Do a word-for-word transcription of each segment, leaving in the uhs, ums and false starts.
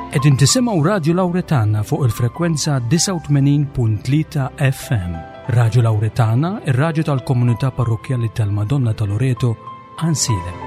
Qegħdin tisimgħu Radju Lawretana fuq il-frekwenza disgħa u tmenin punt tlieta F M. Radju Lawretana, ir-radju tal-komunità parrokkjali tal-Madonna ta' Loreto, Għajnsielem.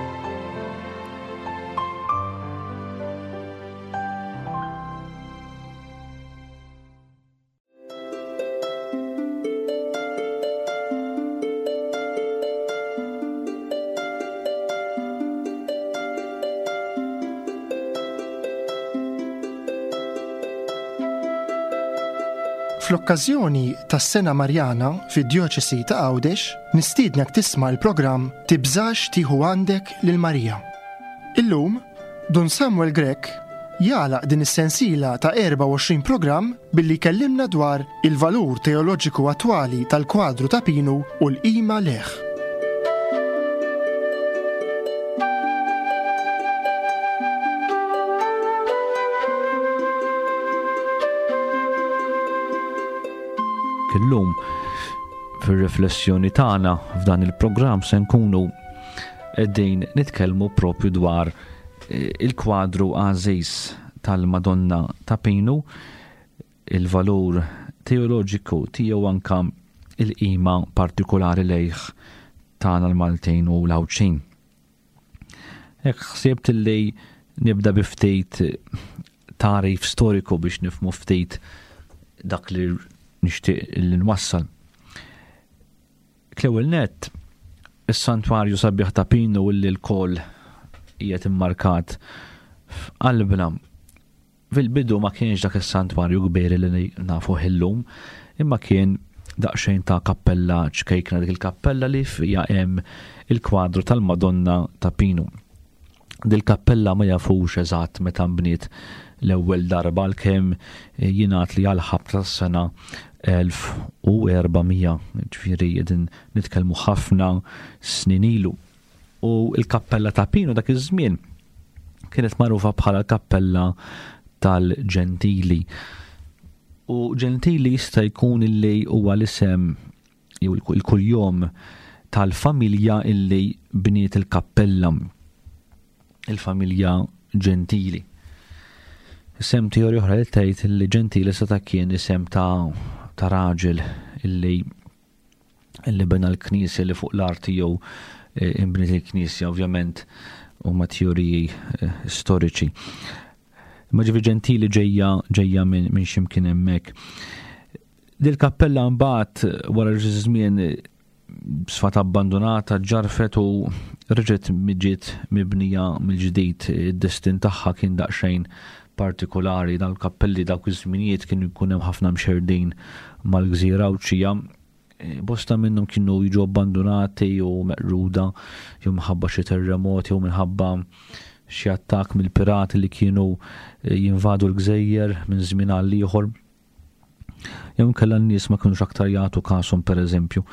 Fl-okkażjoni tas-Sena Marjana fid-Djoċesi ta' Għawdex, nistiednek tisma' l-programm Tibżax tieħu għandek lil Marija. Illum, Dun Samuel Grech jagħlaq din is-sensiela ta' erba' u għoxrin programm billi jkellimna dwar il-valur teoloġiku attwali tal-kwadru ta' Pinu u l-qima leħ. Illum fir-riflessjoni tagħna f'dan il-programm se nkunu qegħdin nitkellmu propju dwar, eh, il-kwadru għażiż tal-Madonna ta' Pinu, il-valur teoloġiku tiegħu anka il-qima partikolari lejh tagħna l-Maltin u l-Għawdxin. Hekk ħsibt li nibda bi ftit tagħrif storiku biex nifhmu ftit dak li nixtieq li nwassal. L-ewwel nett, is-santwarju sabiħ ta' Pinu illi l-koll qiegħed immarkat f'qalbna. Fil-bidu ma kienx dak is-santwarju kbir li nafu illum, imma kien daqsxejn ta' kappella ċkejkna, dik il-kappella li fija hemm il-kwadru tal-Madonna ta' Pinu. Dil-kappella ma jafux eżatt meta nbniet l-ewwel darba, għalkemm jingħad li għal ħabta tas-sena elf u erba' mija, ġifieri qegħdin nitkellmu ħafna snin ilu. U l-kappella ta' Pinu dak iż-żmien kienet magħrufa bħala l-kappella tal-Ġentili. U Ġentili jista' jkun illi huwa l-isem jew il-kuljom tal-familja illi bniet il-kappella, il-familja Ġentili. Isem teorija oħra li tgħid li Ġentili seta' kien isem ta', ta' raġel illi, illi bena l-knisja li fuq l-art jew, eh, imbniet il-knisja, ovvjament huma teoriji, eh, storiċi. Imma ġifieri Ġentili ġejja, ġejja minn, minn x'imkien hemmhekk. Dil-kappella mbagħad wara xi żmien sfat abbandonata, ġarfet u reġgħet ġiet mibnija mill-ġdid. Id-destin tagħha kien daqsxejn partikolari. Dan il-kappelli dawk iż-żminijiet kienu jkun hemm ħafna mxerdin mal-gżira Għawdxija. Bosta minnhom kienu jiġu abbandonati u meqruda jew minħabba xi terremoti jew minħabba xi attakk mill-pirati li kienu jinvadu l-gżejjer minn żmien għal ieħor. Jew inkella n-nies ma kinux aktar jagħtu kashom, pereżempju.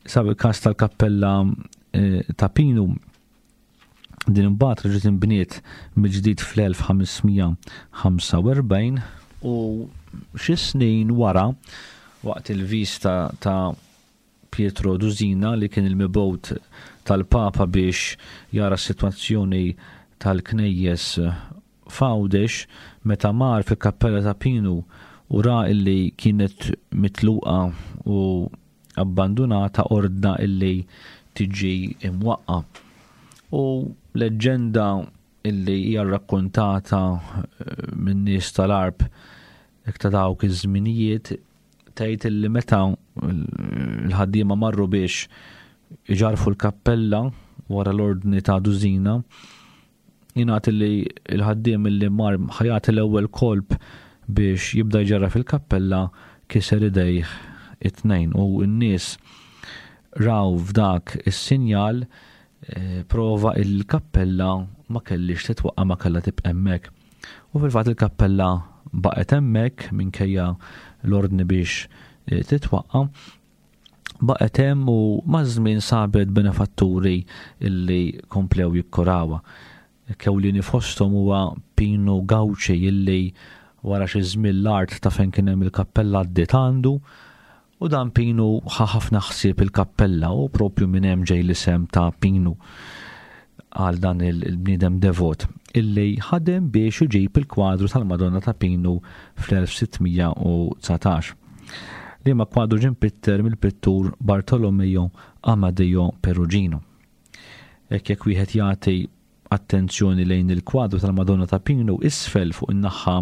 Sab il-każ tal-kappella, eh, ta' Pinu, din imbagħad reġgħet inbniet mill-ġdid fl-elf ħamesmija ħamsa u erbgħin u xi snin wara, waqt il-vista ta' Pietro Dusina li kien il-mibgħut tal-Papa biex jara s-sitwazzjoni tal-knejjes f'Għawdex, meta mar fil-kappella ta' Pinu u ra illi kienet mitluqa u abbandonata, ordna illi tiġi imwaqqa. U leġġenda illi hija rrakkontata, eh, minn nies tal-Għarb hekk ta' dawk iż-żminijiet tgħid illi meta l-ħaddiema marru biex iġarfu l-kappella wara l-ordni ta' Dusina, jingħad illi l-ħaddiem illi mar ħajat l-ewwel kolp biex jibda jġarra fil-kappella kiser idejh it-tnejn, u n-nies raw f'dak is-sinjal, eh, prova il-kappella ma kellix titwaqqa', ma kellha tibqa' hemmhekk. U fil-fatt il-kappella baqgħet hemmhekk minkejja l-ordni biex, eh, titwaqqa', baqgħet hemm u maż-żmien sabet benefatturi illi komplew jikkurawha. Kewlini fosthom huwa Pinu Gauci illi wara xi żmien l-art ta' fejn kien hemm il-kappella għaddiet għandu, u dan Pinu ħa ħafna ħsieb il-kappella u propju minn hemm ġej l-isem ta' Pinu għal dan il-, il-bniedem devot. illi ħadem biex iġib il-kwadru tal-Madonna ta' Pinu fl-elf sitt mija u dsatax. Liema kwadru ġie mpitter mill-pittur Bartolomeo Amadeo Perugino. Hekk jekk wieħed jagħti attenzjoni lejn il-kwadru tal-Madonna ta' Pinu, isfel fuq in-naħa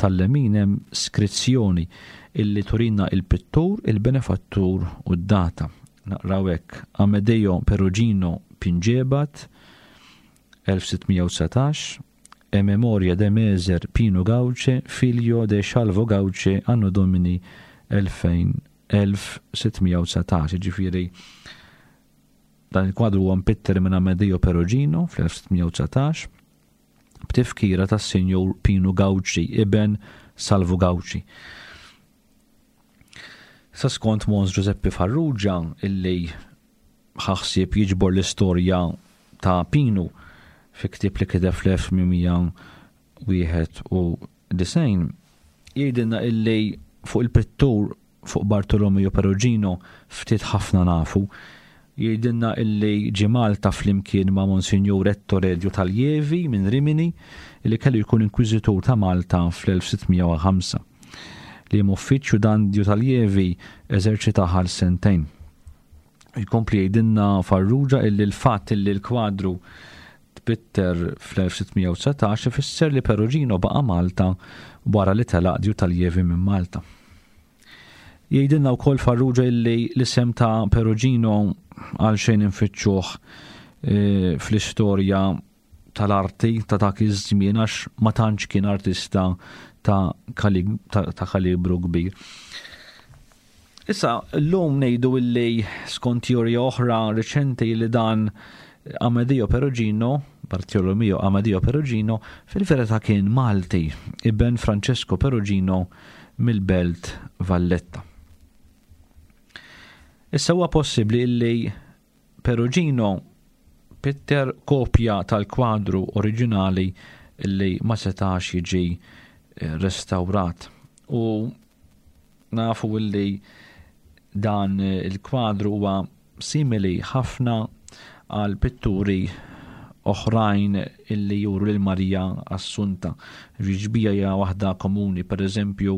tal-lemin hemm skrizzjoni illi turina il-pittur, il-benefattur u d-data. Naqraw hekk: Amedeo Perugino Pingebat, elf sitt mija u dsatax, e memoria de Meser Pino Gauce, figlio de Scialvo Gauce, anno domini elfejn, elf sitt mija u dsatax. Ġifieri dan il-kwadru huwa mpitter minn Amedeo Perugino fl-elf sitt mija u dsatax b'tifkira tas-Sinjur Pino Gauci, iben Salvo Gauci. Sa skont Mons Giuseppe Farrugia, illi ħaħsieb jiġbor l-istorja ta' Pinu fi ktieb li kiteb fl-elf tmien mija wieħed u disgħin, jgħidilna illi fuq il-pittur fuq Bartolomeo Perugino ftit ħafna nafu. Jgħidilna illi ġie Malta flimkien ma' Monsignor Ettore Diotalievi minn Rimini, illi kellu jkun inkwiżitur ta' Malta fl-elf sitt mija u ħamsa. Li hemm uffiċċju dan Diotalievi eżerċita għal sentejn. Jkompli jgħidilna Farrugia illi l-fatt illi l-kwadru tpitter fl-elf sitt mija u dsatax ifisser li Perugino baqa' Malta wara li telaq Diotalievi minn Malta. Jgħidilna wkoll Farrugia illi l-isem ta' Perugino għal xejn infittxuh, eh, fl-istorja tal-arti ta' dak iż-żmien għax ma tantx kien artista ta' kalib-, ta', ta' kalibru kbir. Issa, llum ngħidu illi skont teorija oħra reċenti li dan Amedeo Perugino, Bartolomeo Amedeo Perugino, fil-verità kien Malti, iben Francesco Perugino mill-Belt Valletta. Issa huwa possibbli illi Perugino pitter kopja tal-kwadru oriġinali illi ma setax jiġi, eh, restawrat. U nafu illi dan il-kwadru huwa simili ħafna għal pitturi oħrajn illi juru lil Marija Assunta. Ġbija hija waħda komuni, per eżempju,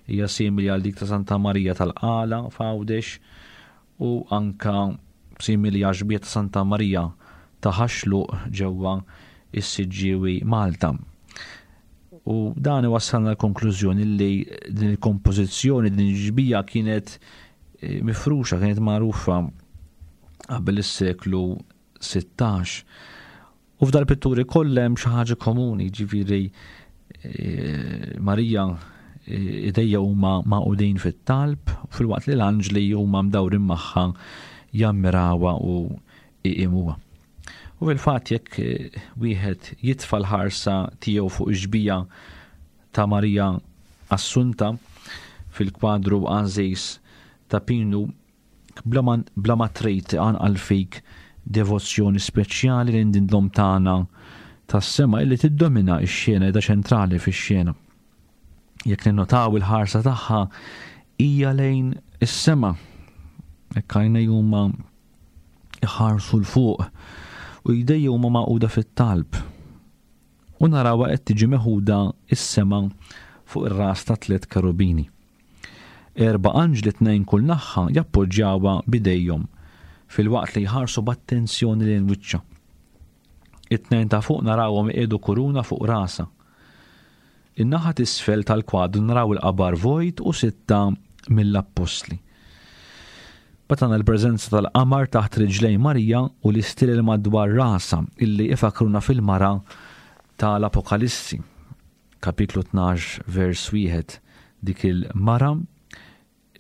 hija simili għal dik ta' Santa Marija tal-Qala f'Għawdex u anka simili għal xbija ta' Santa Marija ta' Ħaxluq ġewwa is-Siġġiewi Malta. U dan iwassalna l-konklużjoni li din il-kompożizzjoni, din il-ġbija kienet, eh, mifruxa, kienet magħrufa qabel is-seklu sittax. U f'dal pitturi kollha hemm xi ħaġa komuni, ġifieri, eh, Marija, eh, idejja huma magħqudin fit-talb, filwaqt li l-anġli huma mdawrin magħha jammirawha u iqimuha. U fil-fatt jekk, eh, wieħed jitfa' l-ħarsa tiegħu fuq ix-xbija ta' Marija Assunta fil-kwadru għażiż ta' Pinu, bla ma, bla ma trid anqal fik devozzjoni speċjali lejn din l-Omm tagħna tas-sema illi tiddomina x-xena da ċentrali fix-xena. Jekk ninnotaw il-ħarsa tagħha hija lejn is-sema, hekk għajnejn huma iħarsu 'l fuq u jdejja huma magħquda fit-talb. U narawha qed tiġi meħuda is-sema fuq ir-ras ta' tliet kerubini. Erba' anġli tnejn kull naħa jappoġġjawha b'idejhom filwaqt li jħarsu b'attenzjoni lejn wiċċha. It-tnejn ta' fuq narawhom iqiegħdu kuruna fuq rasha. In-naħa t'isfel tal-kwadru naraw il-qabar vojt u sitta mill-appostli. Batana l-preżenza tal-qamar taħt riġlejn Marija u l-istil madwar rasha illi ifakruna fil-mara tal-Apokalissi. Kapitlu tnax vers wieħed, dik il-mara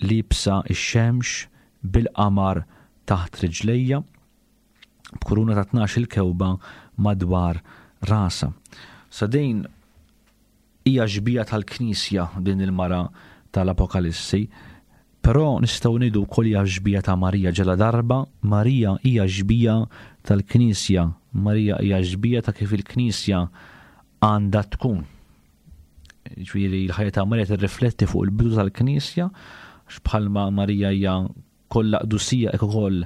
libsa ix-xemx bil-qamar taħt riġlejja b'kuruna ta' tnax il-kewba madwar rasha. Sa din hija xbija tal-Knisja din il-mara tal-Apokalissi, però nistgħu ngħidu wkoll hija xbija ta' Marija ġela darba Marija hija xbija tal-Knisja, Marija hija xbija ta' kif il-Knisja għandha tkun. Ġifieri l-ħajja ta' Marija tirrifletti fuq il-bidu tal-Knisja, għax bħalma Marija hija kollha qdusija hekk ukoll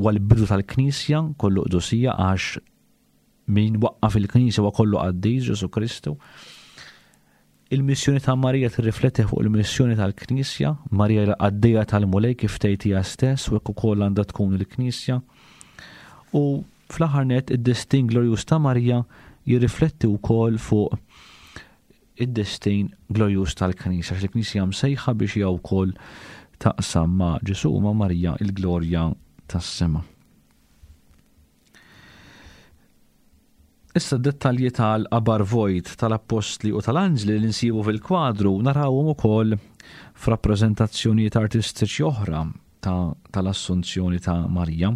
huwa l-bidu tal-Knisja kollu qdusija għax Min waqqaf il-Knisja huwa kollu qaddis, Ġesù Kristu. Il-missjoni ta' Marija tirrifletti fuq il-missjoni tal-Knisja. Marija l-qaddejja tal-Mulej kif tgħid hija stess, u hekk ukoll għandha tkun il-Knisja. U fl-aħħar nett id-destin glorjuż ta' Marija jirrifletti wkoll fuq id-destin glorjuż tal-Knisja, għax il-Knisja msejħa biex hija wkoll taqsam ma' Ġesù u ma' Marija il-glorja tas-sema. Issa d-dettalji tal-qabar vojt tal-appostli u tal-anġli li nsibu fil-kwadru narawhom ukoll f'rappreżentazzjonijiet artistiċi oħra tal-Assunzjoni ta' Marija.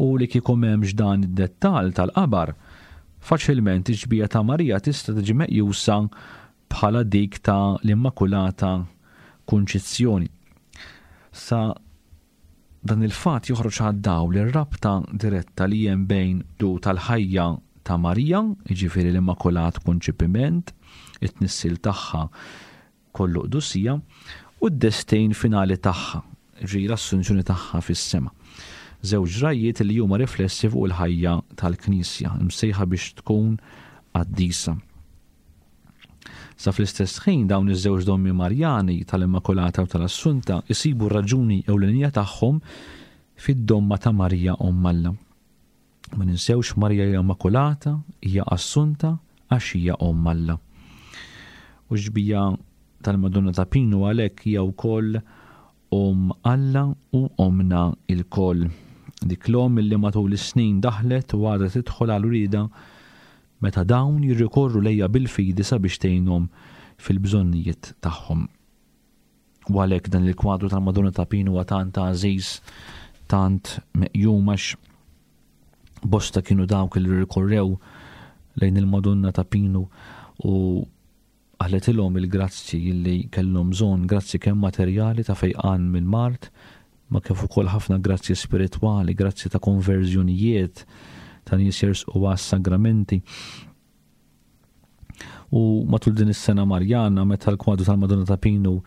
U li kieku m'hemmx dan id-dettall tal-qabar, faċilment iġbija ta' Marija tista' tiġi meqjusa bħala dik ta' l-Immakulata Kunċizzjoni. Sa dan il-fatt joħroġ għad-dawl ir-rabta diretta li hemm bejn du tal-ħajja ta' Marija, jiġifieri l-Immakulat Kunċipiment, it-tnissil tagħha kollu qdusija, u d-destin finali tagħha, ġi l-assunzjoni tagħha fis-sema. Żewġ ġrajjiet li huma riflessi fuq il-ħajja tal-Knisja, imsejħa biex tkun qaddisa. Sa fl-istess ħin dawn iż-żewġ dommi Marjani tal-Immakulata u tal-Assunta isibu r-raġuni ewlenija tagħhom fid-domma ta' Marija Omm Alla. Ma ninsewx Marija hija Immakulata, hija Assunta għax hija Omm Alla. U xbija tal-Madonna ta' Pinu għalhekk hija wkoll Omm Alla u Ommna ilkoll. Dik l-omm illi matul is-snin daħlet u għadha tidħol għal urieda meta dawn jirrikorru lejha bil-fidi sabiex tgħinhom fil-bżonnijiet tagħhom. U għalhekk dan il-kwadru tal-Madonna ta' Pinu huwa tant għażiż, tant meqjum, għax bosta kienu dawk li rrikorrew lejn il-Madonna ta' Pinu u qalet ilhom il-grazzi li kellhom bżonn, grazzi kemm materjali ta' fejqan minn mard, ma kif ukoll ħafna grazzi spiritwali, grazzi ta' konverżjonijiet, ta' nies jersqu għas-sagramenti. U matul din is-sena Marjana, meta l-kwadru tal-Madonna ta' Pinu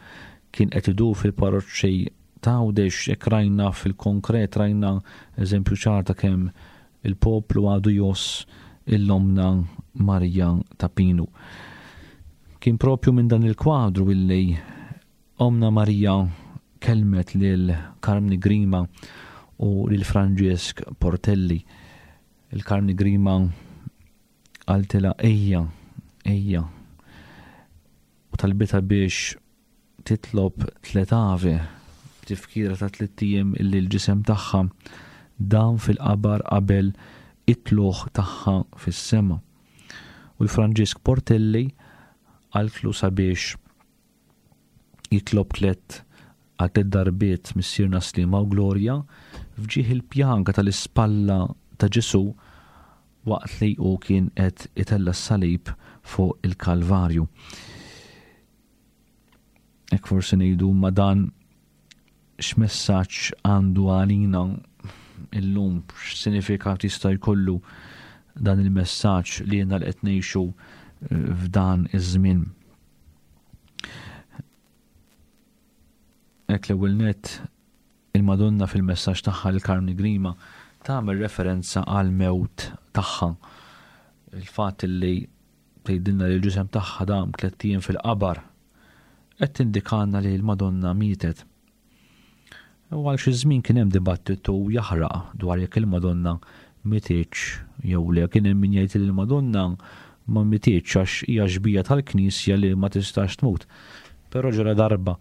kien qed idur fil-parroċċi ta' Għawdex, hekk rajna fil-konkret, rajna eżempju ċar ta' kemm il-poplu għadu joss il-lomna Marija ta' Pinu. Kien propju minn dan il-kwadru illi Omna Marija kelmet lil Karmni Grima u lil Franġisk Portelli. Il-Karmni Grima qaltilha ejja, ejja, u talbitha biex titlob tliet ave, tifkira ta' tliet ijiem illi l-ġisem tagħha dam fil-qabar qabel it-tluħ tagħha fis-sema. U l-Franġisk Portelli qaltlu sabiex jitlob tliet għal tliet darbiet Missierna Sliema u Glorja f'ġieħ il-pjanka tal-ispalla ta' Ġesù waqt li hu kien qed itella' s-salib fuq il-Kalvarju. Hekk forsi ngħidu ma dan x'messaġġ għandu għalina illum, x'sinifikat jista' jkollu dan il-messaġġ li jiena li qed ngħixu f'dan iż-żmien. Hekk l-ewwel nett il-Madonna fil-messaġġ tagħha lil Karmni Grima tagħmel referenza għal mewt tagħha. Il-fatt li tgħidilna li l-ġisem tagħha dam tliet ijiem fil-qabar qed tindikanna li l-Madonna mietet. U għal xi żmien kien hemm dibattitu jaħraq dwar jekk il-Madonna mietitx jew le. Kien hemm min jgħid li l-Madonna ma mietitx għax hija xbija tal-Knisja li ma tistax tmut. Però ġara darba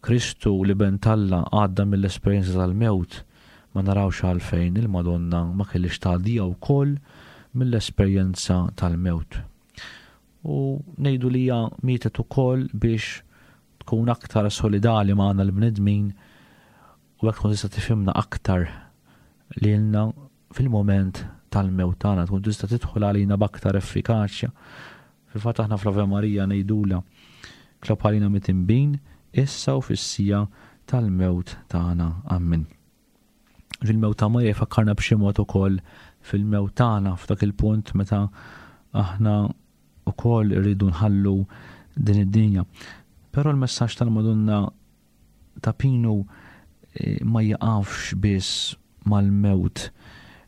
Kristu li ben t'Alla għadda mill-esperjenza tal-mewt, ma narawx għalfejn il-Madonna ma kellix tgħaddija wkoll mill-esperjenza tal-mewt. U ngħidu li hija mietet ukoll biex tkun aktar solidali magħna l-bnedmin u hekk tkun tista' tifhimna aktar lilna fil-moment tal-mewt tagħna, tkun tista' tidħol għalina b'aktar effikaċja. Fil-fatt aħna fl-Ave Maria ngħidulha tlob għalina mitinbin issa u fis-sija tal-mewt tagħna. Amen. Fil-mewt ta' Marija jfakkarna b'xi mod ukoll fil-mewt tagħna f'dak il-punt meta aħna ukoll irridu nħallu din id-dinja. Però l-messaġġ tal-Madonna ta' Pinu, eh, ma jaqafx biss mal-mewt.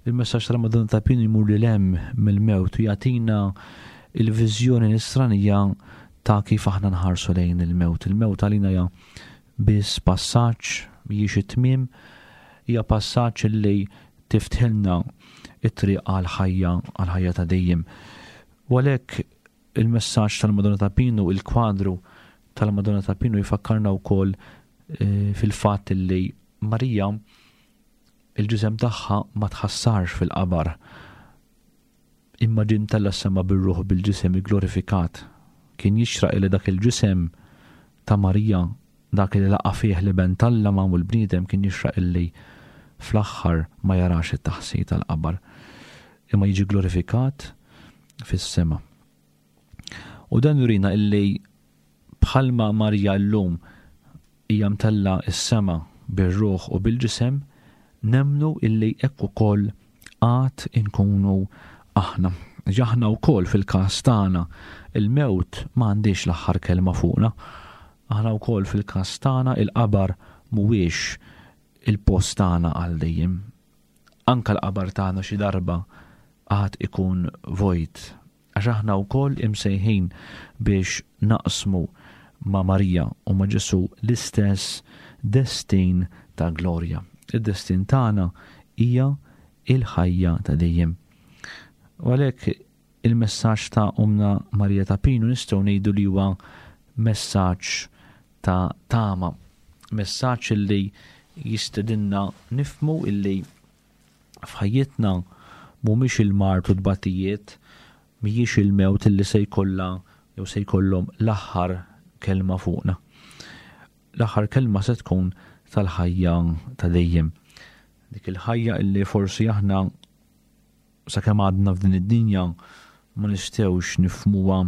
Il-messaġġ tal-Madonna ta' Pinu jmur lil hemm mill-mewt u jagħtina il-viżjoni nisranija ta' kif aħna nħarsu lejn il-mewt. Il-mewt għalina hija biss passaġġ, mhijiex it-tmiem, hija passaġġ li tiftħilna it-triq għal-ħajja, għal-ħajja ta' dejjem. U għalhekk il-messaġġ tal-Madonna ta' Pinu, il-kwadru tal-Madonna ta' Pinu jfakkarna wkoll eh, fil-fatt li Marija il-ġisem tagħha ma tħassarx fil-qabar, imma ġie mtella' s-sema bir-ruħ bil-ġisem glorifikat. Kien jixraq li dak il-ġisem ta' Marija, dak li laqa' fih l-Iben t'Alla magħmul bniedem, kien jixraq illi fl-aħħar ma jarax it-taħsir tal-qabar, imma jiġi glorifikat fis-sema. U dan jurina illi bħalma Marija llum hija mtella s-sema bir-ruħ u bil-ġisem, nemmnu illi hekk ukoll għad inkunu aħna. Aħna wkoll fil-każ tagħna il-mewt ma għandix l-aħħar kelma fuqna. Aħna wkoll fil-każ tagħna il-qabar mhuwiex il-post tagħna għal dejjem. Anka l-qabar tagħna xi darba għad ikun vojt, għax aħna wkoll imsejħin biex naqsmu ma' Marija u ma' Ġesù l-istess destin ta' glorja. Id-destin tagħna hija il-ħajja ta' dejjem. U għalhekk il-messaġġ ta' Ommna Marija ta' Pinu nistgħu ngħidu li huwa messaġġ ta' tama, messaġġ illi jistedinna nifhmu illi f'ħajjitna mhumiex il-mard u tbatijiet, mhijiex il-mewt illi se jkollha jew se jkollhom l-aħħar kelma fuqna. L-aħħar kelma se tkun tal-ħajja ta' dejjem. Dik il-ħajja illi forsi aħna sakemm għadna f'din id-dinja ma nistgħux nifhmuha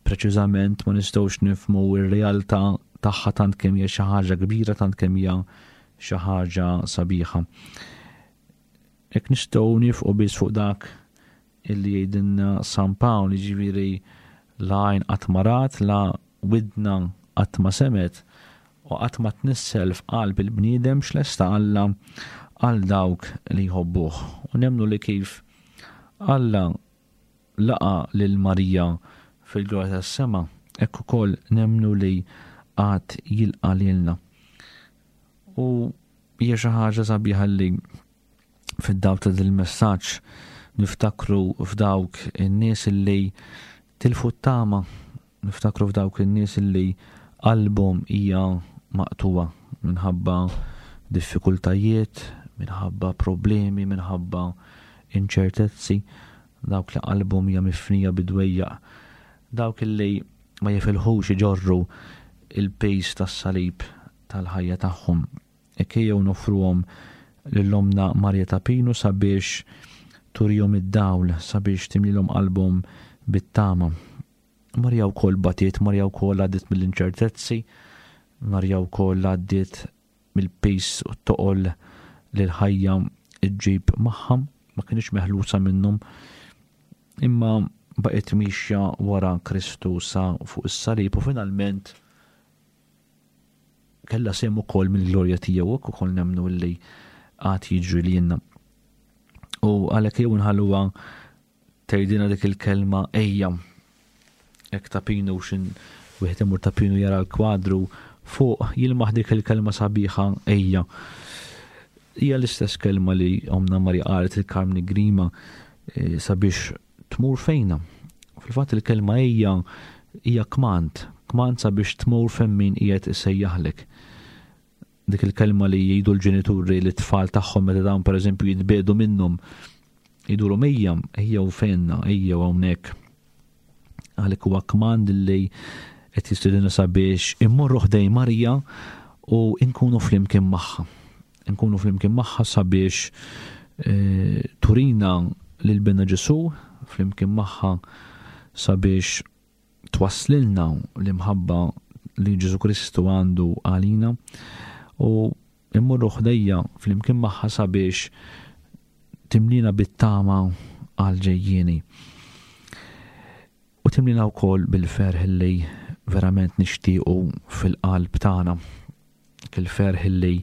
preċiżament, ma nistgħux nifhmu r-realtà tagħha tant kemm hija xi ħaġa kbira, tant kemm hija xi ħaġa sabiħa. Hekk nistgħu nifqu biss fuq dak illi jgħidilna San Pawl, jiġifieri la għajn qatt ma rat, la widna qatt ma semet, u qatt ma tnissel f'qalb il-bniedem x'lesta Alla għal dawk li jħobbuh. U nemmnu li kif Alla laqa lil Marija fil-glorja tas-sema, hekk ukoll nemmnu li għad jilqa lilna. U hija xi ħaġa sabiħa li fid-dawl ta' dil-messaġġ niftakru f'dawk in-nies li tilfu t-tama, niftakru f'dawk in-nies li qalbhom hija maqtuwa minħabba diffikultajiet, minħabba problemi, minħabba inċertezzi, dawk li qalbhom hija mifnija bidwejjaq, dawk li ma jifilħux iġorru il-pejs tas-salib tal-ħajja tagħhom. Hekk ejjew noffruhom lil Ommna Marija ta' Pinu sabiex turihom id-dawl, sabiex timlilhom qalbhom bit-tama. Marija wkoll batiet, Marija wkoll għaddiet mill-inċertezzi, Marija wkoll għaddiet mill-pejs u t-toqol li l-ħajja ġġib magħha, ma kienx meħlusa minnhom, imma baqgħet mixja wara Kristu sa fuq is-salib u finalment kellha sehem ukoll mill-glorja tiegħu, hekk ukoll nemmnu li għad jiġri lilna. U għalhekk jew nħalluha tgħidilna dik il-kelma ejja. Hekk ta' Pinu xin wieħed imur ta' Pinu jara l-kwadru fuq jilmaħ dik il-kelma sabiħa ejja. Hija l-istess kelma li Ommna Marija qalet il-Karmni Grima, eh, sabiex tmur fejna. Fil-fatt il-kelma ejja hija kmand, kmand sabiex tmur fejn min qiegħed isejjaħlek. Dik il-kelma li jgħidu l-ġenituri li t-tfal tagħhom meta dawn pereżempju jitbiedu minnhom, jgħidulhom ejja, ejja u fejna, ejja u hawnhekk. Għalhekk huwa kmand li qed jistedinna sabiex immorru ħdejn Marija u nkunu flimkien magħha. Nkunu flimkien magħha sabiex, eh, turina lil Binha Ġesù, flimkien magħha sabiex twasslilna l-imħabba li Ġesù Kristu għandu għalina, u immorru ħdejja flimkien magħha sabiex timlina bit-tama għal ġejjieni. U timlina wkoll bil-ferħ li verament nixtiequ fil-qalb tagħna, il-ferħ li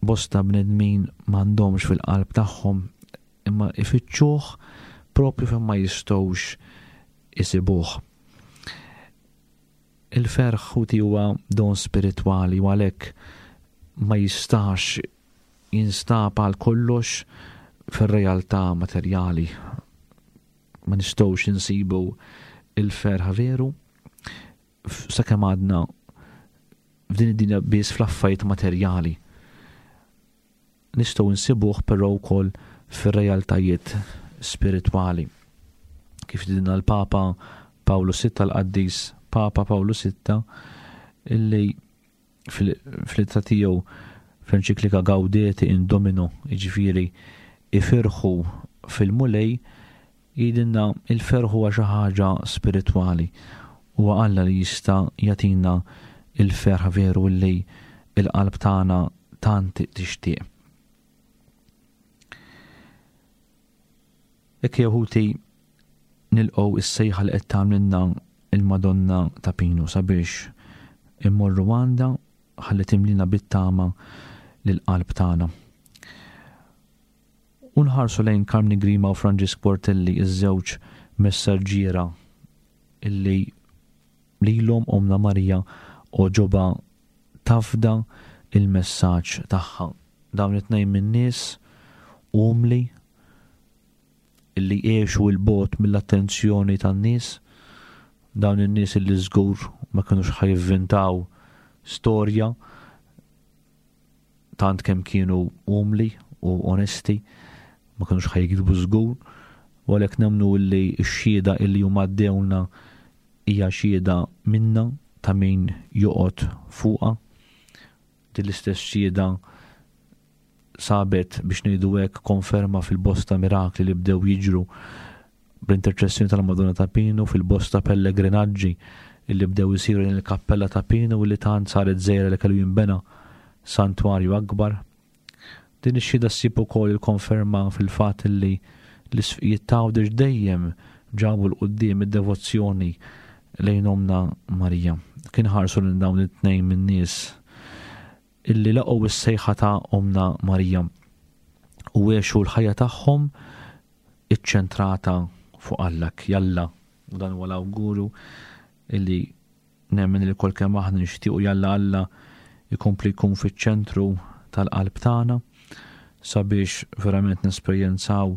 bosta bnedmin m'għandhomx fil-qalb tagħhom imma ifittxuh propju fejn ma jistgħux isibuh. Il-ferħ ħuti huwa don spiritwali u għalhekk ma jistax jinstab għal kollox fir-realtà materjali. Ma nistgħux insibu il-ferħ veru sakemm għadna f'din id-dinja biss fl-affarijiet materjali. Nistgħu nsibuh però wkoll fir-realtajiet spiritwali. Kif dinna l-Papa Pawlu Sitta, l-Qaddis Papa Pawlu Sitta, illi fl-ittra tiegħu fl-enċiklika Gaudete in Domino, jiġifieri ifirħu fil-Mulej, jgħidilna il-ferħ huwa xi ħaġa spiritwali. Huwa Alla li jista' jagħtina il-ferħ veru li l-qalb tagħna tant tixtieq. Hekk jew ħuti nilqgħu is-sejħa li qed tagħmlilna il-Madonna ta' Pinu sabiex immorru għandha ħalli timlina bit-tama lill-qalb tagħna. U nħarsu lejn Karmni Grima u Franġisk Portelli, iż-żewġ messaġġiera illi lilhom Omna Marija għoġobha tafda il-messaġġ tagħha. Dawn it-tnejn min-nies umli illi għexu l-bogħod mill-attenzjoni tan-nies, dawn in-nies illi żgur ma kinux ħajvvintaw storja tant kemm kienu umli u onesti, ma kinux ħajkdbu żgur, u għalhekk nemmnu illi x-xhieda illi huma għaddewna hija xhieda minna ta' min joqgħod fuqha. Din l-istess xhieda sabet biex ngħidu hekk konferma fil-bosta mirakli li bdew jiġru bl-interċessjoni tal-Madonna ta' Pinu, fil-bosta pellegrinaġġi illi bdew isiru lejn il-kappella ta' Pinu li tant saret żgħira li kellu jinbena santwarju akbar. Din ix-xhieda ssib ukoll il-konferma fil-fatt illi l-isfqijiet ta' Għawdex dejjem ġabu 'l quddiem id-devozzjoni lejn Omna Marija. Kien ħarsu lil dawn it-tnejn min-nies illi laqgħu s-sejħa ta' Omna Marija u għexu l-ħajja tagħhom iċċentrata fuq Alla. Jalla, u dan huwa l-awguru illi nemmen li kol kemm aħna nixtiequ jalla Alla jkompli jkun fiċ-ċentru tal-qalb tagħna sabiex verament nesperjenzaw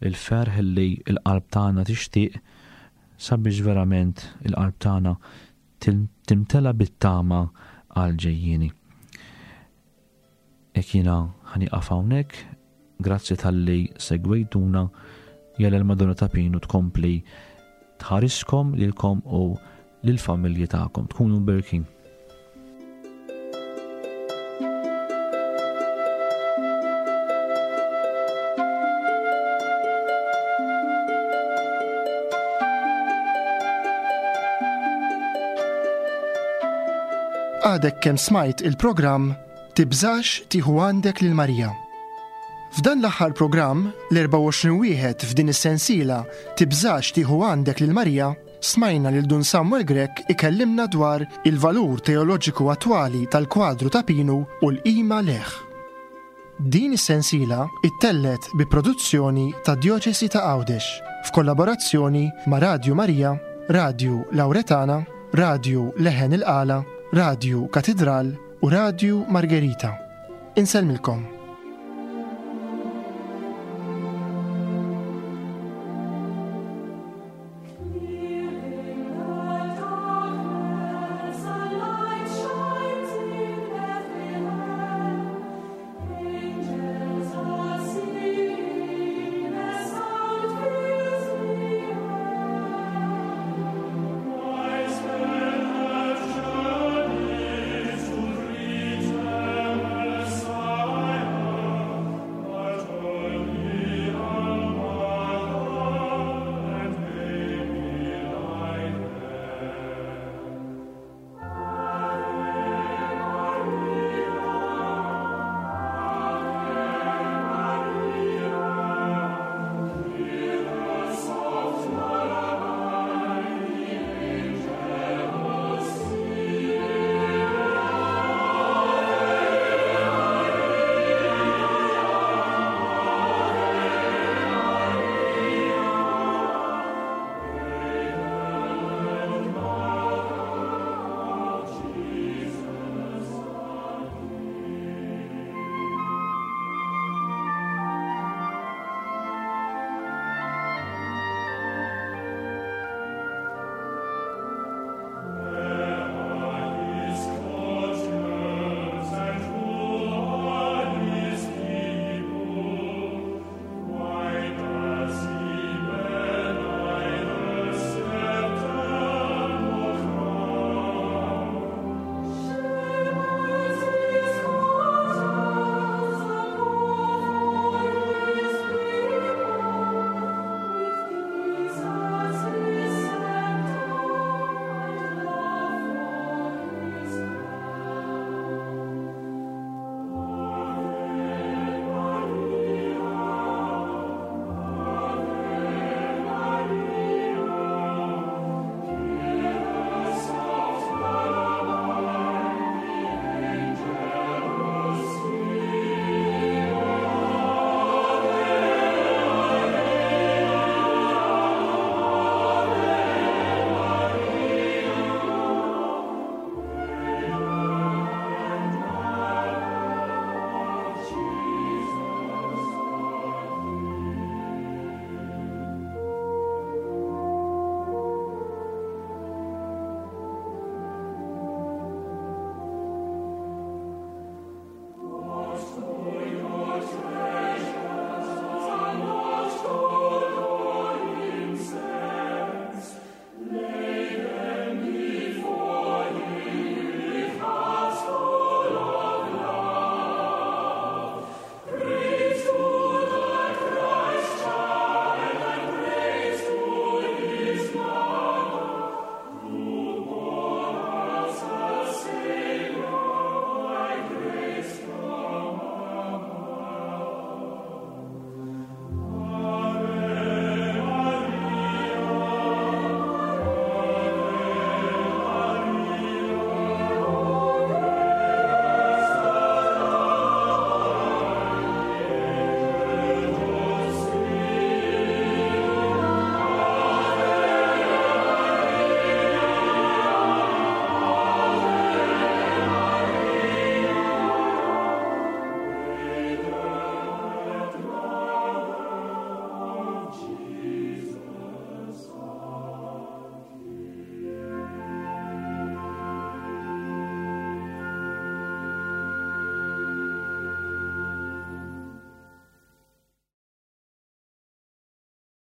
il-ferħ li l-qalb tagħna tixtieq, sabiex verament il-qalb tagħna timtela bit-tama għal ġejjieni. Hekk jiena ħanieqaf hawnhekk, grazzi talli segwejtuna, jalla l-Madonna ta' Pinu tkompli tħariskom lilkom u lill-familji tagħkom. Tkunu berkin. Għadek kemm smajt il-programm Tibżax tieħu għandek lil Marija. F'dan l-aħħar programm, l-erbgħa u għoxrin wieħed f'din is-sensiela Tibżax tieħu għandek lil Marija, smajna lil Dun Samuel Grech ikellimna dwar il-valur teoloġiku attwali tal-kwadru ta' Pinu u l-qima leħ. Din is-sensiela ittellet bi produzzjoni ta' Djoċesi ta' Għawdex f'kollaborazzjoni ma' Radju Marija, Radju Lauretana, Radju Leħen il-Qala, Radju Katidral u Radju Margherita. Insellmilkom.